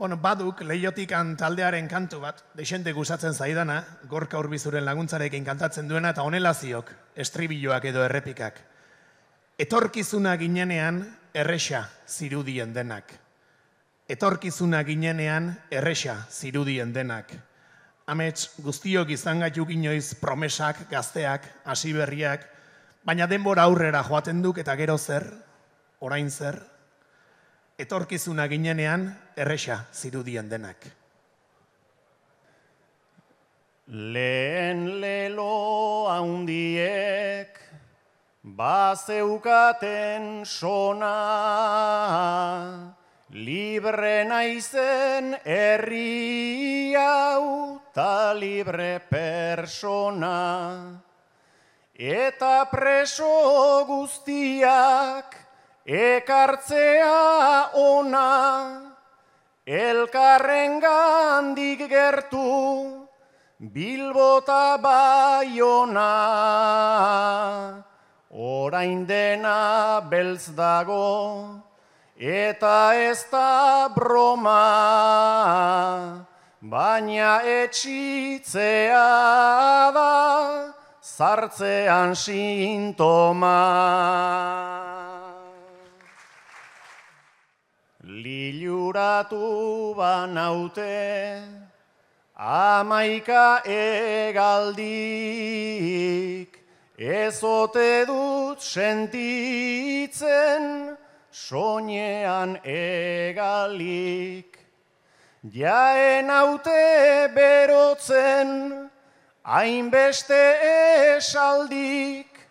Baduk Leiotikan taldearen kantu bat, deixente gustatzen zaidana, Gorka Urbizuren laguntzarekin kantatzen duena, eta honela ziok, estribilloak edo errepikak. Etorkizuna ginenean, erresa zirudien denak. Etorkizuna ginenean, erresa zirudien denak. Amets, guztiok izan gaitu inoiz promesak, gazteak, hasi berriak, baina denbora aurrera joaten duk eta gero zer, orain zer, etorkizuna ginenean, erresa zirudien denak. Lehen lelo haundiek bazeukaten sona, libre naizen herri hau ta libre persona, eta preso guztiak ekartzea ona, elkarrengandik gertu Bilbota Baiona. Orain dena beltz dago eta ez da broma, baina etxitzea da zartzean sintoma. Liluratu banaute 11 hegaldik, ez ote dut sentitzen soinean hegalik. Jaen haute berotzen hainbeste esaldik,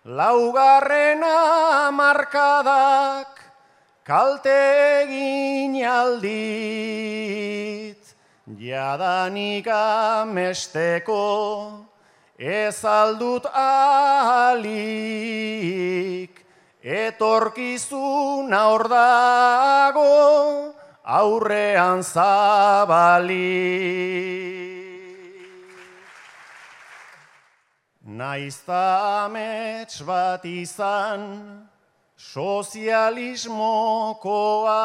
laugarrena markadak kalte egin aldit. Jadanik amesteko ez aldut ahalik, etorkizuna hor dago aurrean zabalik. Naizta amets bat izan sozialismokoa,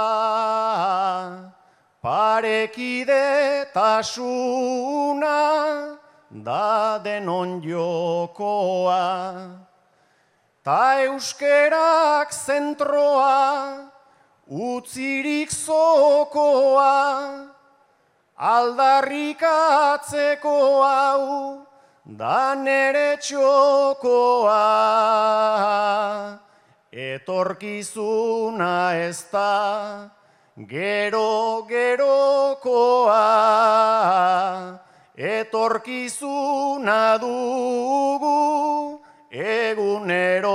parekidetasuna da denon jokoa, ta euskerak zentroa utzirik zokoa, aldarrikatzeko hau da nere txokoa. Etorkizuna ez da gero-gerokoa, etorkizuna dugu egunerokoa.